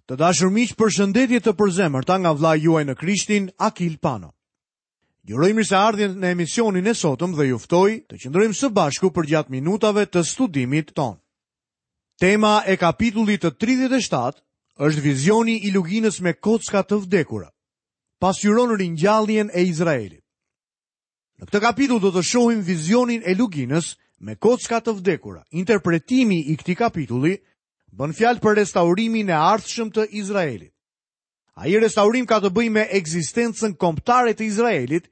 Të dashur miq, përshëndetje të përzemërta nga vëllai juaj në Krishtin, Akil Pano. Ju uroj mirëseardhjen në emisionin e sotëm dhe ju ftoj të qëndrojmë së bashku përgjatë minutave të studimit tonë. Tema e kapitullit të 37 është vizioni i luginës me kocka të vdekura. Pasqyron ringjalljen e Izraelit. Në këtë kapitull do të shohim vizionin e luginës me kocka të vdekura. Interpretimi i këtij kapitulli bën fjalë për restaurimin e ardhshëm të Izraelit. Ai restaurim ka të bëjë me ekzistencën kombëtare të Izraelit,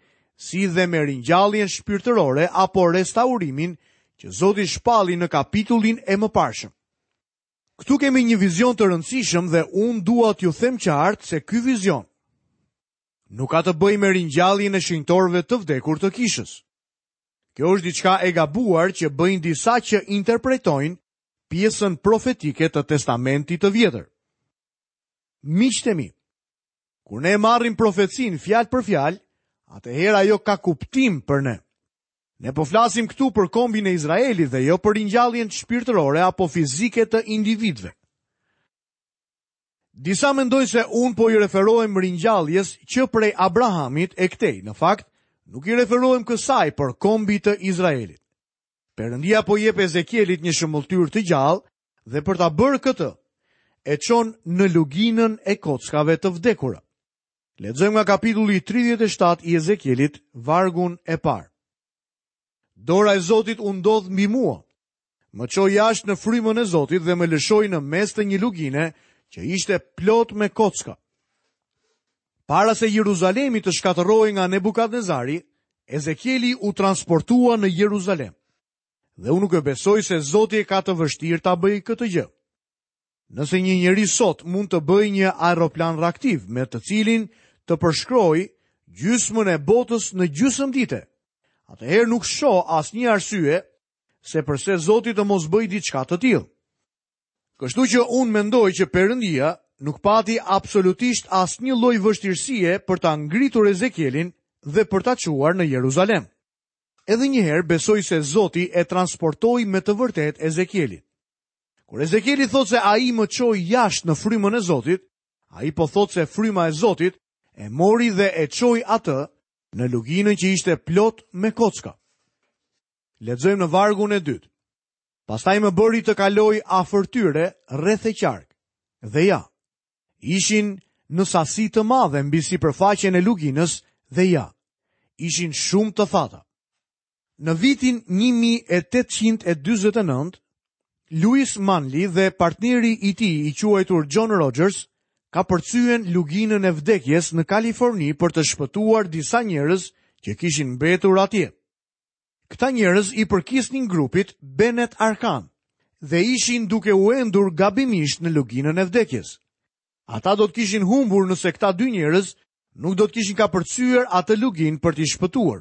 si dhe me ringjalljen shpirtërore apo restaurimin që Zoti shpalli në kapitullin e mëparshëm. Këtu kemi një vizion të rëndësishëm dhe unë dua t'ju them qartë se ky vizion nuk ka të bëjë me ringjalljen e shenjtorëve të vdekur të kishës. Kjo është diçka e gabuar që bëjnë disa që interpretojnë pjesën profetike të Testamentit të Vjetër. Miqtë e mi, kur ne e marrim profecinë fjalë për fjalë, atëherë ajo ka kuptim për ne. Ne po flasim këtu për kombin e Izraelit dhe jo për ringjalljen shpirtërore apo fizike të individëve. Disa mendojnë se unë po i referohem ringjalljes që prej Abrahamit e këtej. Në fakt, nuk i referohem kësaj, por kombit të Izraelit. Perëndia po i jep Ezekielit një shëmbëlltyrë të gjallë dhe për ta bërë këtë, e çon në luginën e kockave të vdekura. Lexojmë nga kapitulli 37 i Ezekielit, vargun e parë. Dora e Zotit u ndodh mbi mua. Më çoi jashtë në frymën e Zotit dhe më lëshoi në mes të një lugine që ishte plot me kocka. Para se Jeruzalemi të shkatërrohej nga Nebukadnezari, Ezekieli u transportua në Jeruzalem. Dhe unë nuk e besoj se Zoti e ka të vështirë ta bëjë këtë gjë. Nëse një njeri sot mund të bëjë një aeroplan reaktiv me të cilin të përshkrojë gjysmën e botës në gjysmë dite, atëherë nuk shoh asnjë arsye se përse Zoti të mos bëjë diçka të tillë. Kështu që unë mendoj që Perëndia nuk pati absolutisht asnjë lloj vështirësie për ta ngritur Ezekielin dhe për ta çuar në Jeruzalem. Edhe një herë besoj se Zoti e transportoi me të vërtetë Ezekielin. Kur Ezekieli thotë se ai më çoi jashtë në frymën e Zotit, ai po thotë se fryma e Zotit e mori dhe e çoi atë në luginën që ishte plot me kocka. Lexojmë në vargun e dytë. Pastaj më bëri të kaloj afër tyre rreth e qark. Dhe ja, ishin në sasi të madhe mbi sipërfaqen e luginës dhe ja, ishin shumë të thata. Në vitin 1849, Louis Manley dhe partneri i tij i quajtur John Rogers kapërcyen luginën e vdekjes në Kaliforni për të shpëtuar disa njerëz që kishin mbetur atje. Këta njerëz i përkisnin grupit Benet Arkan dhe ishin duke u endur gabimisht në luginën e vdekjes. Ata do të kishin humbur nëse këta dy njerëz nuk do të kishin kapërcyer atë luginë për t'i shpëtuar.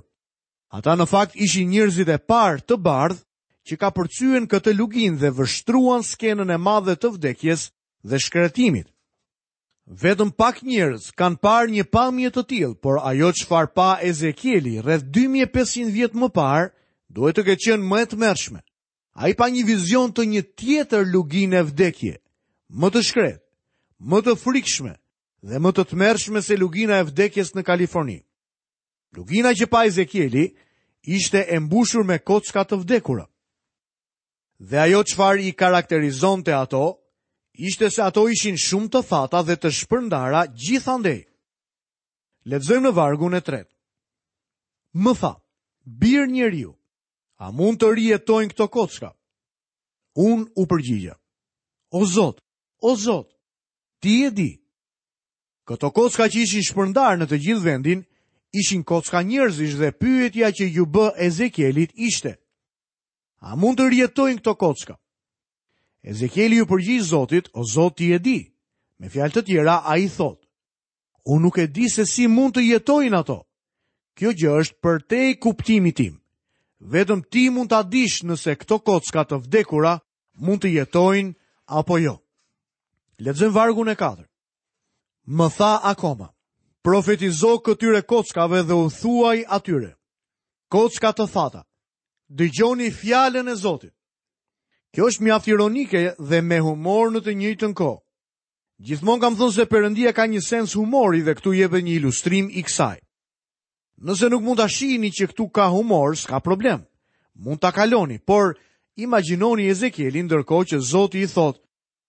Ata në fakt ishin njerëzit e parë të bardhë që kapërcyen këtë luginë dhe vështruan skenën e madhe të vdekjes dhe shkretimit. Vetëm pak njerëz kanë parë një pamje të tillë, por ajo çfarë pa Ezekieli rreth 2500 vjet më parë duhet të ketë qenë më e tmerrshme. Ai pa një vizion të një tjetër lugine vdekje, më të shkretë, më të frikshme dhe më të tmerrshme se lugina e vdekjes në Kaliforni. Lugina që pa Ezekieli ishte e mbushur me kocka të vdekura. Dhe ajo çfarë i karakterizonte ato, ishte se ato ishin shumë të thata dhe të shpërndara gjithandej. Lexojmë në vargun e tretë. Më tha, bir njeriu, a mund të rijetojnë këto kocka? Unë u përgjigja, o Zot, o Zot, ti e di. Këto kocka që ishin shpërndarë në të gjithë vendin, ishin kocka njerëzish dhe pyetja që iu bë Ezekielit ishte, A mund të rijetojnë këto kocka? Ezekieli iu përgjigj Zotit, o Zot ti e di. Me fjalë të tjera, ai thotë, unë nuk e di se si mund të jetojnë ato. Kjo gjë është përtej kuptimit tim. Vetëm ti mund ta dish nëse këto kocka të vdekura mund të jetojnë apo jo. Lexojmë vargun e 4. Më tha akoma, profetizo këtyre kockave dhe u thuaj atyre, kocka të thata, Dëgjoni fjalën e Zotit. Kjo është mjaft ironike dhe me humor në të njëjtën kohë. Gjithmonë kam thënë se Perëndia ka një sens humori dhe këtu jepet një ilustrim i kësaj. Nëse nuk mund ta shihni që këtu ka humor, s'ka problem. Mund ta kaloni, por imagjinoni Ezekielin ndërkohë që Zoti i thotë,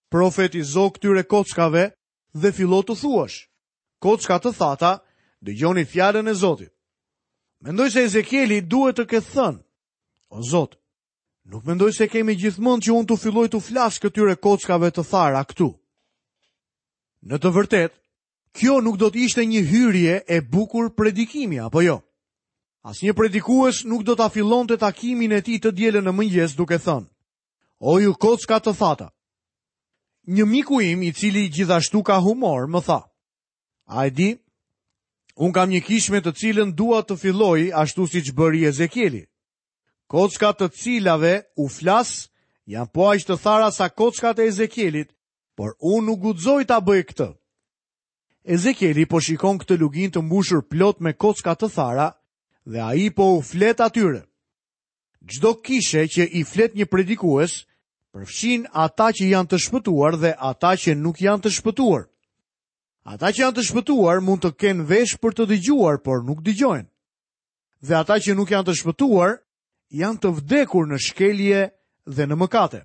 profetizo këtyre kockave dhe fillo t'u thuash. Kocka të thata, dëgjoni fjalën e Zotit. Mendoj se Ezekieli duhet të ketë thënë, o Zot, nuk mendoj se ke me gjithë mend që unë të filloj t'u flas këtyre kockave të thara këtu. Në të vërtetë, kjo nuk do të ishte një hyrje e bukur predikimi, apo jo? Asnjë predikues nuk do ta fillonte takimin e tij të dielën në mëngjes duke thënë, o ju kocka të thata. Një miku im i cili gjithashtu ka humor më tha, a e di, unë kam një kishë me të cilën dua të filloj ashtu siç bëri Ezekieli. Kockat të cilave u flas janë po aq të thara sa kockat e Ezekielit, por unë nuk guxoj ta bëj këtë. Ezekieli po shikon këtë luginë të mbushur plot me kocka të thara dhe ai po u flet atyre. Çdo kishe që i flet një predikues, përfshin ata që janë të shpëtuar dhe ata që nuk janë të shpëtuar. Ata që janë të shpëtuar mund të kenë vesh për të dëgjuar, por nuk dëgjojnë. Dhe ata që nuk janë të shpëtuar janë të vdekur në shkelje dhe në mëkate.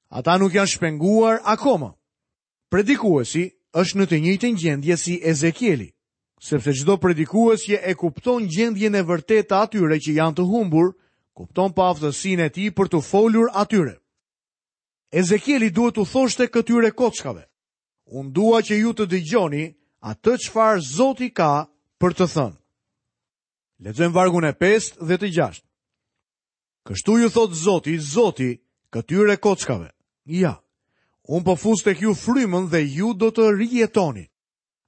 Ata nuk janë shpenguar akoma. Predikuesi është në të njëjtën gjendje si Ezekieli, sepse çdo predikues që e kupton gjendjen e vërtetë të atyre që janë të humbur, kupton paaftësinë e tij për t'u folur atyre. Ezekieli duhet t'u thoshte këtyre kockave, unë dua që ju të dëgjoni atë çfarë Zoti ka për të thënë. Lexojmë vargun e 5 dhe të 6. Kështu ju thotë Zoti, Zoti, këtyre kockave. Ja, unë po fus tek ju frymën dhe ju do të rijetoni.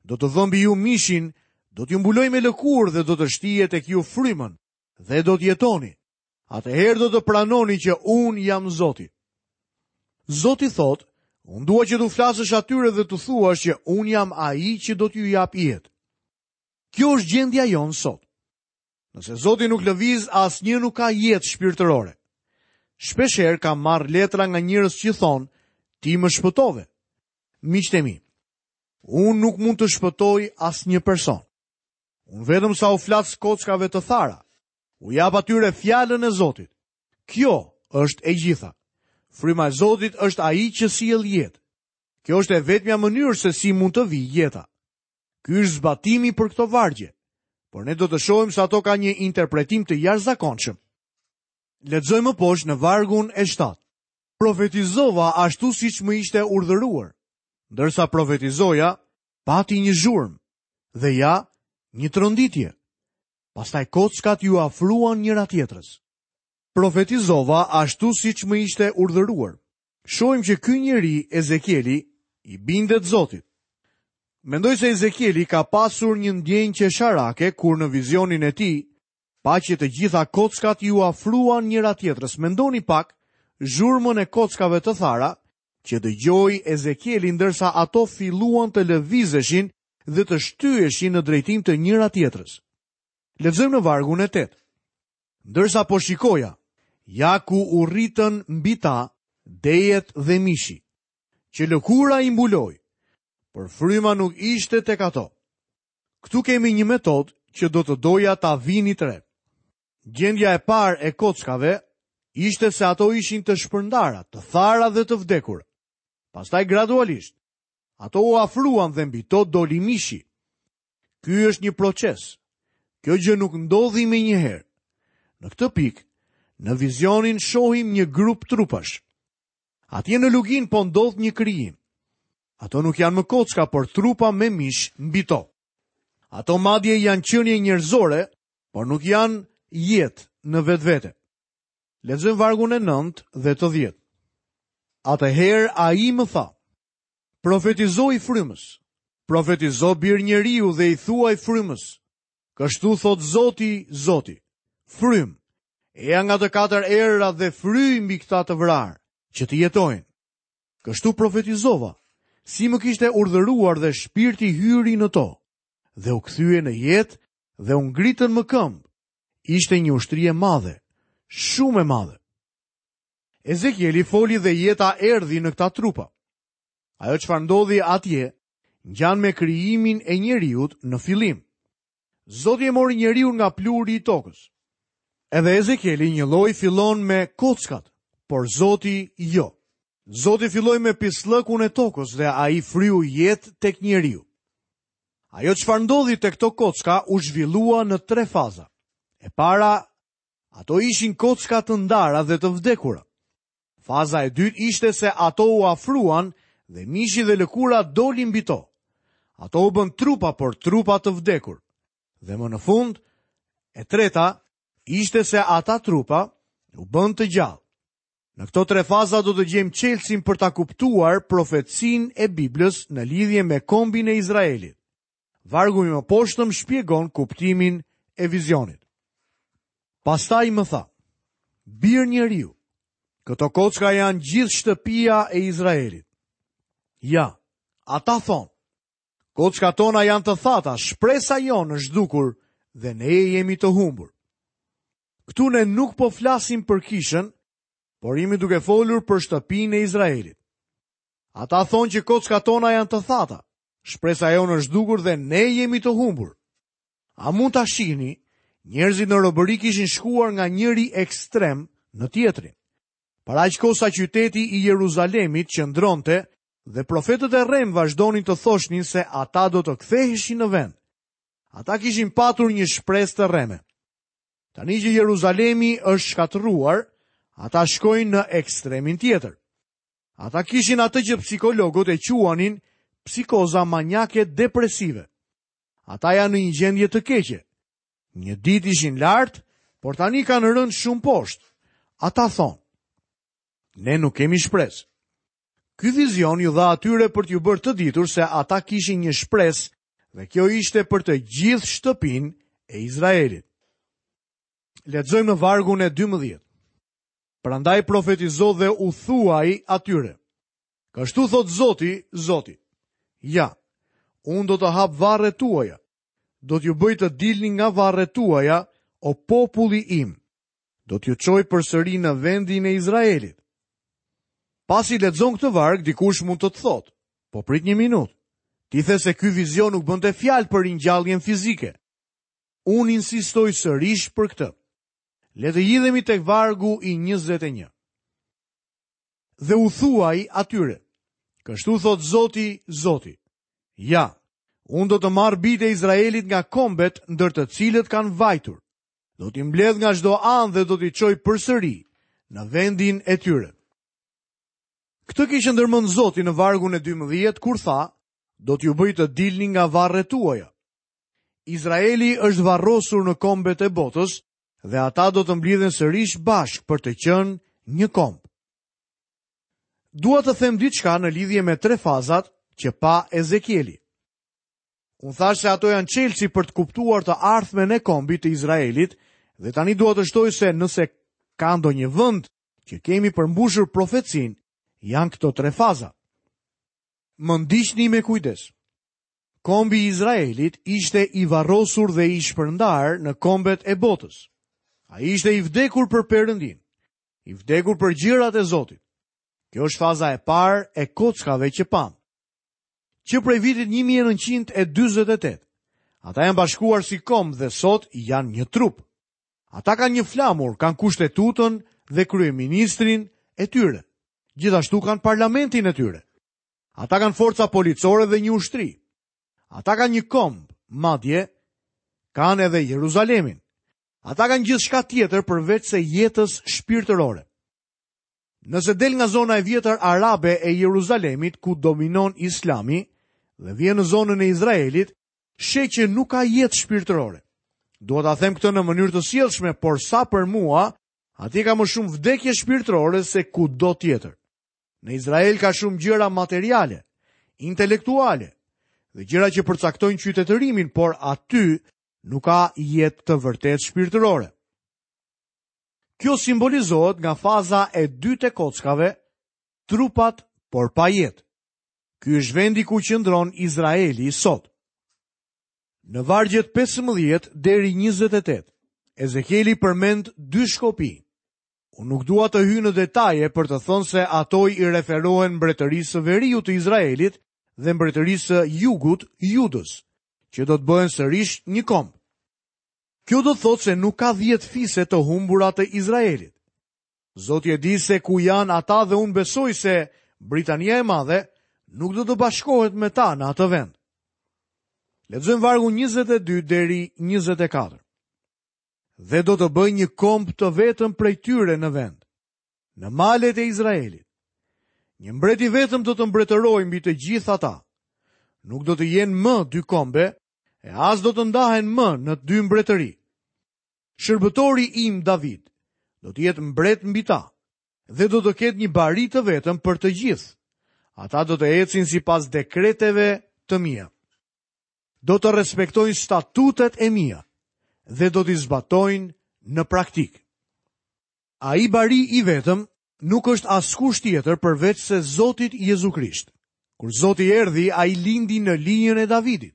Do të vë mbi ju mishin, do t'ju mbuloj me lëkurë dhe do të shtij tek ju frymën dhe do të jetoni. Atëherë do të pranoni që unë jam Zoti. Zoti thotë, unë dua që t'u flasësh atyre dhe t'u thuash që unë jam ai që do t'ju jap jetë. Kjo është gjendja jonë sot. Nëse Zoti nuk lëviz, asnjë nuk ka jetë shpirtërore. Shpeshherë kam marrë letra nga njerëz që thonë, ti më shpëtove. Miqtë e mi, unë nuk mund të shpëtoj asnjë person. Unë vetëm sa u flas kockave të thara, u jap atyre fjalën e Zotit. Kjo është e gjitha. Fryma e Zotit është ai që sjell jetë. Kjo është e vetmja mënyrë se si mund të vijë jeta. Ky është zbatimi për këto vargje, por ne do të shohim se ato kanë një interpretim të jashtëzakonshëm. Lexojmë më poshtë në vargun e 7. Profetizova ashtu siç më ishte urdhëruar. Ndërsa profetizoja, pati një zhurmë dhe ja, një tronditje. Pastaj kockat iu afruan njëra-tjetrës. Profetizova ashtu siç më ishte urdhëruar. Shohim që ky njeri, Ezekieli, i bindet Zotit. Mendoj se Ezekieli ka pasur një ndjenjë qesharake kur në vizionin e tij pa që të gjitha kockat iu afruan njëra-tjetrës. Mendoni pak zhurmën e kockave të thara që dëgjoi Ezekieli ndërsa ato filluan të lëvizeshin dhe të shtyheshin në drejtim të njëra-tjetrës. Lexojmë në vargun e 8. Ndërsa po shikoja, ja ku u rritën mbi ta dejet dhe mishi, që lëkura i mbuloi, por fryma nuk ishte tek ato. Këtu kemi një metodë që do të doja ta vinit re. Gjendja e parë e kockave ishte se ato ishin të shpërndara, të thara dhe të vdekura. Pastaj gradualisht, ato u afruan dhe mbi to doli mishi. Ky është një proces. Kjo gjë nuk ndodhi menjëherë. Në këtë pikë, në vizionin shohim një grup trupash. Atje në luginë po ndodh një krijim. Ato nuk janë më kocka, por trupa me mish mbi to. Ato madje janë qenie njerëzore, por nuk janë jetë në vetvete. Lexojmë vargun e 9 dhe të 10. Atëherë ai më tha, Profetizoji frymës. Profetizo bir njeriu dhe i thuaj frymës. Kështu thotë Zoti, Zoti. Frymë, eja nga të katër erërat dhe fryj mbi këta të vrarë, që të jetojnë. Kështu profetizova, si më kishte urdhëruar dhe shpirti hyri në to, dhe u kthye në jetë dhe u ngritën më këmbë. Ishte një ushtri e madhe, shumë e madhe. Ezekieli foli dhe jeta erdhi në këta trupa. Ajo çfarë ndodhi atje ngjan me krijimin e njeriut në fillim. Zoti e mori njeriun nga pluhuri i tokës. Edhe Ezekieli njëlloj fillon me kockat, por Zoti jo. Zoti filloi me pisllëkun e tokës dhe ai fryu jetë tek njeriu. Ajo çfarë ndodhi te këto kocka u zhvillua në tre faza. E para, ato ishin kocka të ndara dhe të vdekura. Faza e dytë ishte se ato u afruan dhe mishi dhe lëkura doli mbi to. Ato u bënë trupa, por trupa të vdekur. Dhe më në fund, e treta ishte se ata trupa u bënë të gjallë. Në këto tre faza do të gjejmë çelësin për ta kuptuar profecinë e Biblës në lidhje me kombin e Izraelit. Vargu i mëposhtëm shpjegon kuptimin e vizionit. Pastaj më tha, bir njeriu, këto kocka janë gjithë shtëpia e Izraelit. Ja, ata thonë, kockat tona janë të thata, shpresa jonë është zhdukur dhe ne jemi të humbur. Këtu ne nuk po flasim për kishën, por jemi duke folur për shtëpinë e Izraelit. Ata thonë që kockat tona janë të thata, shpresa jonë është zhdukur dhe ne jemi të humbur. A mund ta shihni? Njerëzit në robëri kishin shkuar nga njëri ekstrem në tjetrin. Për aq kohë sa qyteti i Jeruzalemit qëndronte dhe profetët e rremë vazhdonin të thoshnin se ata do të ktheheshin në vend. Ata kishin patur një shpresë të rreme. Tani që Jeruzalemi është shkatërruar, ata shkojnë në ekstremin tjetër. Ata kishin atë që psikologët e quanin psikoza maniake depresive. Ata janë në një gjendje të keqe. Një ditë ishin lart, por tani kanë rënë shumë poshtë. Ata thonë, ne nuk kemi shpresë. Ky vizion iu dha atyre për t'u bërë të ditur se ata kishin një shpresë dhe kjo ishte për të gjithë shtëpinë e Izraelit. Lexojmë në vargun e 12. Prandaj profetizo dhe u thuaj atyre. Kështu thotë Zoti, Zoti. Ja, unë do të hap varret tuaja. Do t'ju bëj të dilni nga varret tuaja, o populli im. Do t'ju çoj përsëri në vendin e Izraelit. Pasi lexon këtë varg, dikush mund të të thotë, po prit një minutë. Ti the se ky vizion nuk bënte fjalë për ringjalljen fizike. Unë insistoj sërish për këtë. Le të hidhemi tek vargu i 21. Dhe u thuaj atyre, kështu thotë Zoti, Zoti, ja, unë do të marr bijtë e Izraelit nga kombet ndër të cilët kanë vajtur, do t'i mbledh nga çdo anë dhe do t'i çoj përsëri në vendin e tyre. Këtë kishte ndërmend Zoti në vargun e 12, kur tha, do t'ju bëj të dilni nga varret tuaja. Izraeli është varrosur në kombet e botës dhe ata do të mblidhen sërish bashkë për të qenë një komb. Dua të them diçka në lidhje me tre fazat që pa Ezekieli. Unë thashë se ato janë çelësi për të kuptuar të ardhmen e kombit të Izraelit dhe tani dua të shtoj se nëse ka ndonjë vend që kemi përmbushur profecinë, janë këto tre faza. Më ndiqni me kujdes. Kombi i Izraelit ishte i varrosur dhe i shpërndarë në kombet e botës. Ai ishte i vdekur për Perëndinë, i vdekur për gjërat e Zotit. Kjo është faza e parë e kockave që pamë. Që prej vitit 1948, ata janë bashkuar si komb dhe sot janë një trup. Ata kanë një flamur, kanë kushtetutën dhe kryeministrin e tyre. Gjithashtu kanë parlamentin e tyre. Ata kanë forca policore dhe një ushtri. Ata kanë një komb, madje kanë edhe Jeruzalemin. Ata kanë gjithçka tjetër përveçse jetës shpirtërore. Nëse del nga zona e vjetër arabe e Jeruzalemit ku dominon Islami dhe vjen në zonën e Izraelit, sheh që nuk ka jetë shpirtërore. Dua ta them këtë në mënyrë të sjellshme, por sa për mua, atje ka më shumë vdekje shpirtërore se kudo tjetër. Në Izrael ka shumë gjëra materiale, intelektuale dhe gjëra që përcaktojnë qytetërimin, por aty nuk ka jetë të vërtetë shpirtërore. Kjo simbolizohet nga faza e dytë e kockave, trupat por pa jetë. Ky është vendi ku qëndron Izraeli sot. Në vargjet 15 deri 28, Ezekieli përmend dy shkopinj. Unë nuk dua të hyj në detaje për të thënë se ato i referohen mbretërisë së veriut të Izraelit dhe mbretërisë së jugut, Judës, që do të bëhen sërish një komb. Kjo do të thotë se nuk ka 10 fise të humbura të Izraelit. Zoti e di se ku janë ata dhe unë besoj se Britania e Madhe nuk do të bashkohet me ta në atë vend. Lexojmë vargun 22 deri 24. Dhe do të bëj një komb të vetëm prej tyre në vend, në malet e Izraelit. Një mbret i vetëm do të mbretërojë mbi të gjithë ata. Nuk do të jenë më dy kombe, e as do të ndahen më në dy mbretëri. Shërbëtori im David do të jetë mbret mbi ta dhe do të ketë një bari të vetëm për të gjithë. Ata do të ecin sipas dekreteve të mia. Do të respektojnë statutet e mia dhe do t'i zbatojnë në praktikë. Ai bari i vetëm nuk është askush tjetër përveç se Zotit Jezu Krisht. Kur Zoti erdhi, ai lindi në linjën e Davidit.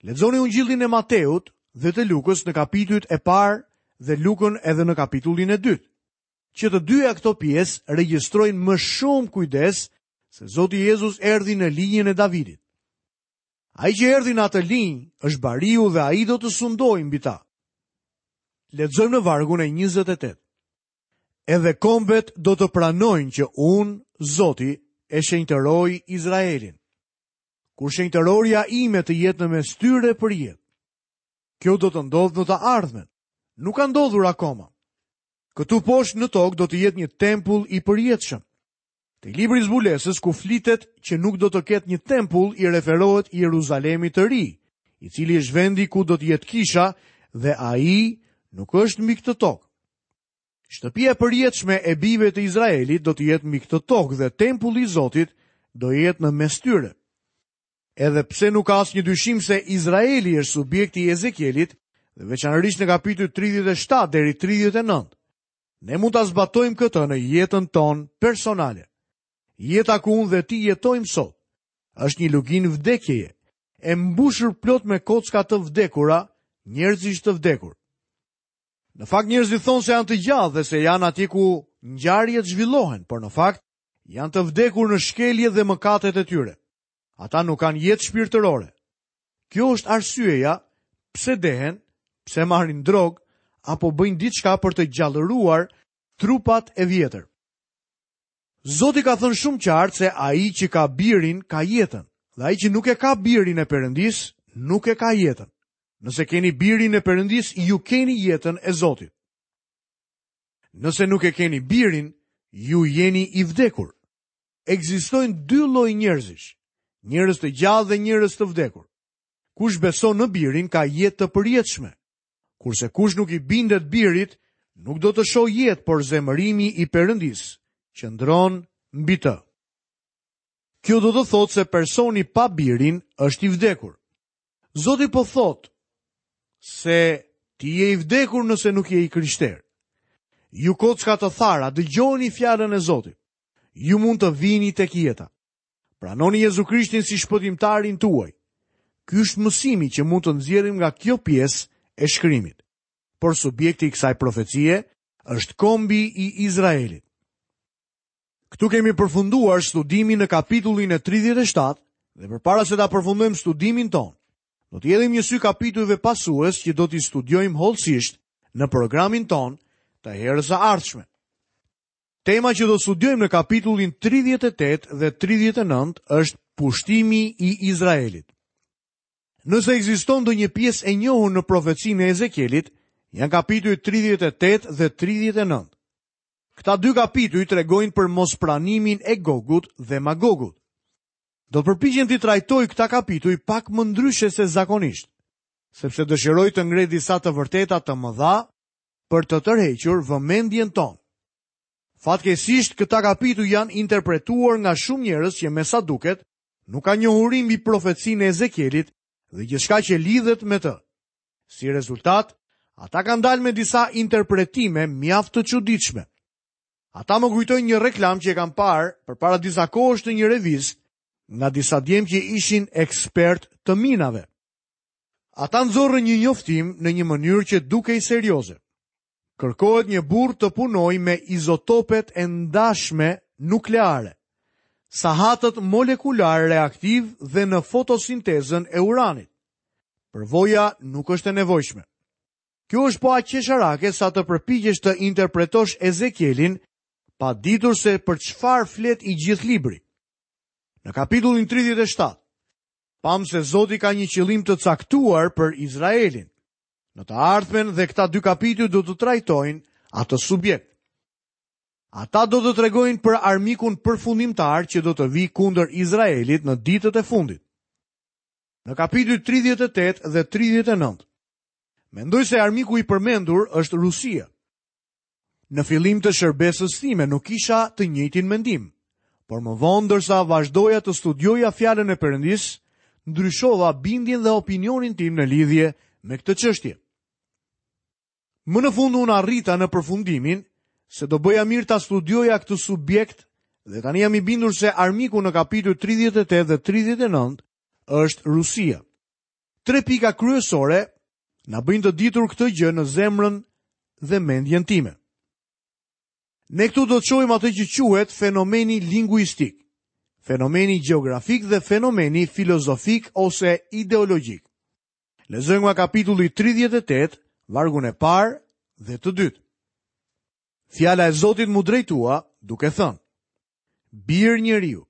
Lexoni Ungjillin e Mateut dhe të Lukës në kapitujt e parë dhe Lukën edhe në kapitullin e dytë. Që të dyja këto pjesë regjistrojnë me shumë kujdes se Zoti Jezus erdhi në linjën e Davidit. Ai që erdhi në atë linjë është bariu dhe ai do të sundojë mbi ta. Lexojmë në vargun e 28. Edhe kombet do të pranojnë që unë, Zoti, e shenjtëroj Izraelin. Kur shenjtërorja ime të jetë në mes tyre përjetë. Kjo do të ndodhë në të ardhmen. Nuk ka ndodhur akoma. Këtu poshtë në tokë do të jetë një tempull i përjetshëm. Te libri i zbulesës ku flitet që nuk do të ketë një tempull i referohet Jeruzalemit të ri, i cili është vendi ku do të jetë kisha dhe ai nuk është mbi këtë tokë. Shtëpia e përjetshme e bijve të Izraelit do të jetë mbi këtë tokë dhe tempulli i Zotit do jetë në mes tyre. Edhe pse nuk ka asnjë dyshim se Izraeli është subjekti i Ezekielit, dhe veçanërisht në kapitujt 37 deri 39, ne mund ta zbatojmë këtë në jetën tonë personale. Jeta ku unë dhe ti jetojmë sot është një luginë vdekjeje, e mbushur plot me kocka të vdekura, njerëzish të vdekur. Në fakt njerëzit thonë se janë të gjallë dhe se janë atje ku ngjarjet zhvillohen, por në fakt janë të vdekur në shkeljet dhe mëkatet e tyre. Ata nuk kanë jetë shpirtërore. Kjo është arsyeja pse dehen, pse marrin drogë apo bëjnë diçka për të gjallëruar trupat e vjetër. Zoti ka thënë shumë qartë se ai që ka birin ka jetën, dhe ai që nuk e ka birin e Perëndisë nuk e ka jetën. Nëse keni birin e Perëndisë, ju keni jetën e Zotit. Nëse nuk e keni birin, ju jeni i vdekur. Ekzistojnë dy lloj njerëzish, njerëz të gjallë dhe njerëz të vdekur. Kush beson në birin ka jetë të përjetshme. Kurse kush nuk i bindet birit, nuk do të shohë jetë, por zemërimi i Perëndisë qëndron mbi të. Kjo do të thotë se personi pa birin është i vdekur. Zoti po thotë se ti je i vdekur nëse nuk je i krishterë. Ju kocka të thara, dëgjoni fjalën e Zotit. Ju mund të vini tek jeta. Pranoni Jezu Krishtin si shpëtimtarin tuaj. Ky është mësimi që mund të nxjerrim nga kjo pjesë e shkrimit. Por subjekti i kësaj profecie është kombi i Izraelit. Këtu kemi përfunduar studimin në kapitullin e 37 dhe përpara se ta përfundojmë studimin tonë, do t'i hedhim një sy kapitujve pasues që do t'i studiojmë hollësisht në programin tonë të herës së ardhshme. Tema që do të studiojmë në kapitullin 38 dhe 39 është pushtimi i Izraelit. Nëse ekziston ndonjë pjesë e njohur në profecinë e Ezekielit, janë kapitujt 38 dhe 39. Këta dy kapituj tregojnë për mospranimin e Gogut dhe Magogut. Do të përpiqem t'i trajtoj këta kapituj pak më ndryshe se zakonisht, sepse dëshiroj të ngre disa të vërteta të mëdha për të tërhequr vëmendjen tonë. Fatkeqësisht, këta kapituj janë interpretuar nga shumë njerëz që me sa duket nuk kanë njohuri mbi profecinë e Ezekielit dhe gjithçka që lidhet me të. Si rezultat, ata kanë dalë me disa interpretime mjaft të çuditshme. Ata më kujtojnë një reklamë që e kam parë përpara disa kohësh në një revistë nga disa djem që ishin ekspertë të minave. Ata nxorrën një njoftim në një mënyrë që dukej serioze. Kërkohet një burrë të punojë me izotopet e ndashme nukleare, sahatët molekularë reaktivë dhe në fotosintezën e uranit. Përvoja nuk është e nevojshme. Kjo është po aq qesharake sa të përpiqesh të interpretosh Ezekielin pa ditur se për çfarë flet i gjithë libri. Në kapitullin 37, pamë se Zoti ka një qëllim të caktuar për Izraelin. Në të ardhmen dhe këta dy kapituj do të trajtojnë atë subjekt. Ata do të tregojnë për armikun përfundimtar që do të vijë kundër Izraelit në ditët e fundit. Në kapitujt 38 dhe 39, mendoj se armiku i përmendur është Rusia. Në fillim të shërbesës time nuk kisha të njëjtin mendim, por më vonë ndërsa vazhdoja të studioja fjalën e Perëndisë, ndryshova bindjen dhe opinionin tim në lidhje me këtë çështje. Më në fund unë arrita në përfundimin se do bëja mirë ta studioja këtë subjekt dhe tani jam i bindur se armiku në kapitujt 38 dhe 39 është Rusia. Tre pika kryesore na bëjnë të ditur këtë gjë në zemrën dhe mendjen time. Ne këtu do të shohim atë që quhet fenomeni linguistik, fenomeni gjeografik dhe fenomeni filozofik ose ideologjik. Lexojmë nga kapitulli 38, vargun e parë dhe të dytë. Fjala e Zotit m'u drejtua duke thënë: Bir njeriu,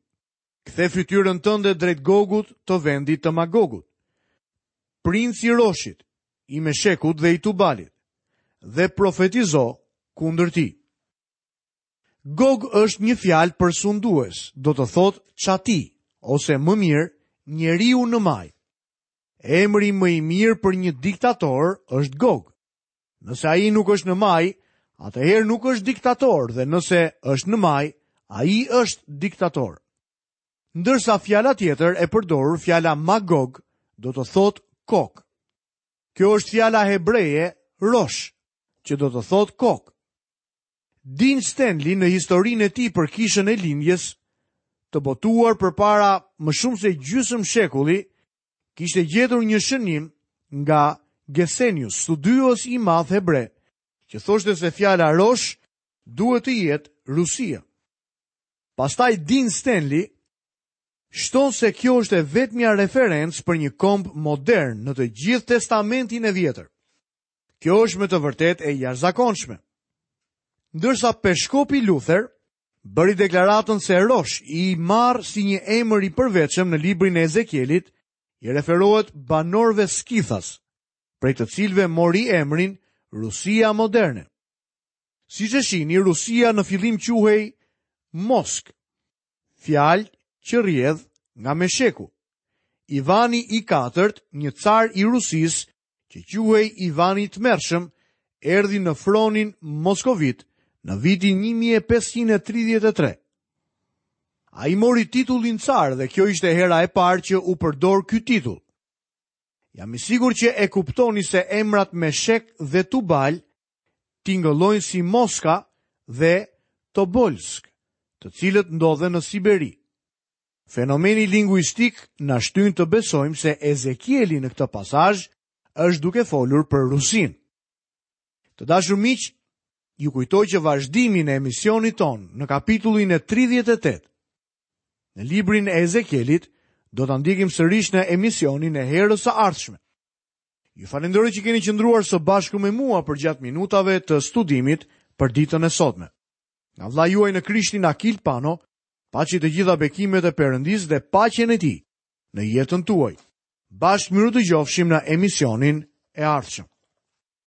Kthe fytyrën tënde drejt Gogut të vendit të Magogut. Princ i Roshit, i Meshekut dhe i Tubalit, dhe profetizo kundër tij. Gog është një fjalë për sundues, do të thotë çati, ose më mirë, njeriu në majë. Emri më i mirë për një diktator është Gog. Nëse ai nuk është në majë, atëherë nuk është diktator dhe nëse është në majë, ai është diktator. Ndërsa fjala tjetër e përdorur, fjala Magog, do të thotë kokë. Kjo është fjala hebreje rosh, që do të thotë kokë. Dean Stanley në historinë e tij për kishën e lindjes, të botuar përpara më shumë se gjysmë shekulli, kishte gjetur një shënim nga Gesenius, studiues i madh hebre, që thoshte se fjala rosh duhet të jetë Rusia. Pastaj Dean Stanley shton se kjo është e vetmja referencë për një komb modern në të gjithë Testamentin e Vjetër. Kjo është me të vërtetë e jashtëzakonshme. Ndërsa peshkopi Luther bëri deklaratën se Rosh, i marrë si një emër i përveçëm në librin e Ezekielit, i referohet banorëve skithas, prej të cilëve mori emrin Rusia moderne. Siç e shihni, Rusia në fillim quhej Moskë, fjalë që rrjedh nga Mesheku. Ivani i katërt, një car i Rusisë, që quhej Ivani i Tmerrshëm, erdhi në fronin moskovit në vitin 1533. Ai mori titullin car dhe kjo ishte hera e parë që u përdor ky titull. Jam i sigurt që e kuptoni se emrat Meshek dhe Tubal tingëllojnë si Moska dhe Tobolsk, të cilët ndodhen në Siberi. Fenomeni linguistik na shtyn të besojmë se Ezekieli në këtë pasazh është duke folur për Rusinë. Të dashur miq, ju kujtoj që vazhdimin e emisionit tonë në kapitullin e 38 në librin e Ezekielit do ta ndjekim sërish në emisionin e herës së ardhshme. Ju falenderoj që keni qëndruar së bashku me mua përgjatë minutave të studimit për ditën e sotme. Nga vëllai juaj në Krishtin Akil Pano, Paçi të gjitha bekimet e Perëndisë dhe paqen e Tij në jetën tuaj. Bashkë mirudëgjofshim në emisionin e ardhshëm.